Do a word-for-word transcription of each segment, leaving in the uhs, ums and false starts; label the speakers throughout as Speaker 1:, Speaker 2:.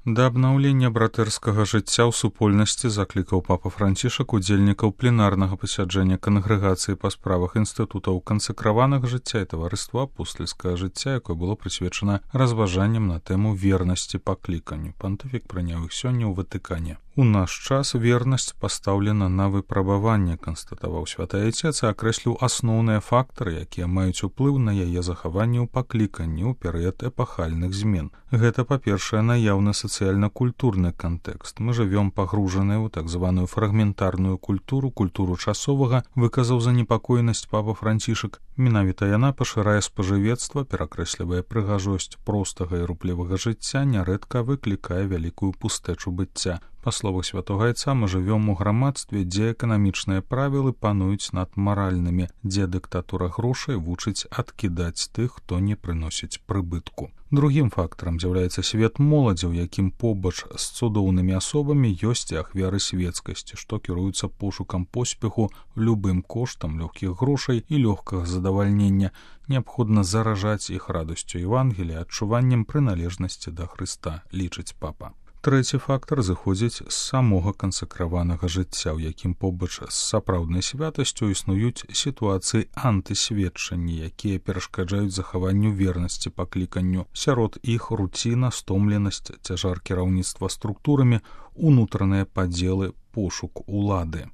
Speaker 1: Да абнаўлення братэрскага жыцця ў супольнасці заклікаў папа Францішак удзельнікаў пленарнага пасяджэння кангрэгацыі па справах інстытутаў кансакраванага жыцця і таварыства апостальскага жыцця, якое было прысвечана разважанням на тэму вернасці пакліканню. Пантыфік прыняў іх сёння ў Ватыкане. У наш час вернасць пастаўлена на выпрабаванне, канстатаваў святы Айцец, і акрэсліў асноўныя фактары, якія маюць уплыў на яе захаванне ў пакліканні ў перыяд эпахальных змен. Гэта, па-першае, наяўны сацыяльна-культурны кантэкст. Мы жывём пагружаныя ў так званую фрагментарную культуру, культуру часовага, выказаў занепакоенасць папа Францішак. Менавіта яна пашырае спажывецтва, перакрэслівае прыгажосць простага і руплівага жыцця, нярэдка выклікае вялікую пустэчу быцця. Па словах святога Айца, мы жывём у грамадстве, дзе эканамічныя правілы пануюць над маральнымі, дзе дыктатура грошай вучыць адкідаць тых, хто не прыносіць прыбытку. Другім фактарам з'яўляецца свет моладзі, у якім побач з цудоўнымі асобамі ёсць і ахвяры свецкасці, што кіруюцца пошукам поспеху любым коштам лёгкіх грошай і лёгкага задавальнення. Неабходна заражаць іх радасцю Евангелія, адчуваннем прыналежнасці да Хрыста, лічыць папа. Трэці фактар зыходзіць з самога кансакраванага жыцця, у якім побач з сапраўднай святасцю існуюць сітуацыі антысведчання, якія перашкаджаюць захаванню вернасці пакліканню. Сярод іх руціна, стомленасць, цяжар кіраўніцтва структурамі, унутраныя падзелы, пошук улады.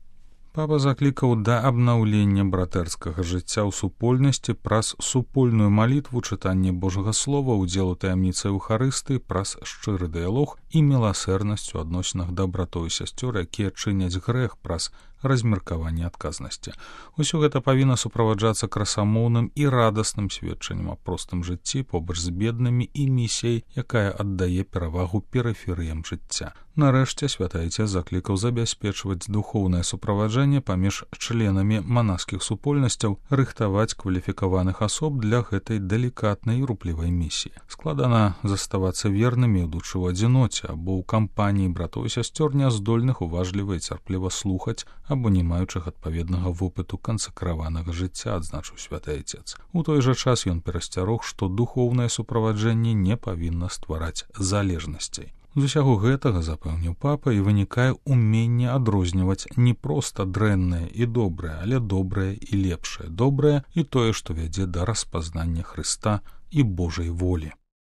Speaker 1: Папа заклікаў да абнаўлення братэрскага жыцця ў супольнасці праз супольную малітву, чытанне Божага Слова, удзел у таямніцы Еўхарыстыі, праз шчыры дыялог і міласэрнасць у адносінах да братоў і сясцёр, якія чыняць грэх, праз размеркаванне адказнасці. Усё гэта павінна суправаджацца красамоўным і радасным сведчаннем аб простым жыцці побач з беднымі і місіяй, якая аддае перавагу перыферыям жыцця. Нарэшце святы Айцец заклікаў забяспечваць духоўнае суправаджанне паміж членамі манаскіх супольнасцяў, рыхтаваць кваліфікаваных асоб для гэтай далікатнай і руплівай місіі. Складана заставацца вернымі, ідучы ў адзіноце або ў кампаніі братоў і сясцёр, няздольных уважліва і цярпліва слухаць або не маючых адпаведнага вопыту кансакраванага жыцця, адзначыў святы Айцец. У той жа час ён перасцярог, што духоўнае суправаджэнне не павінна ствараць залежнасцей. З усяго гэтага, запэўніў папа, і вынікае ўменне адрозніваць не проста дрэннае і добрае, але добрае і лепшае, добрае і тое, што вядзе да распазнання Хрыста і Божай волі.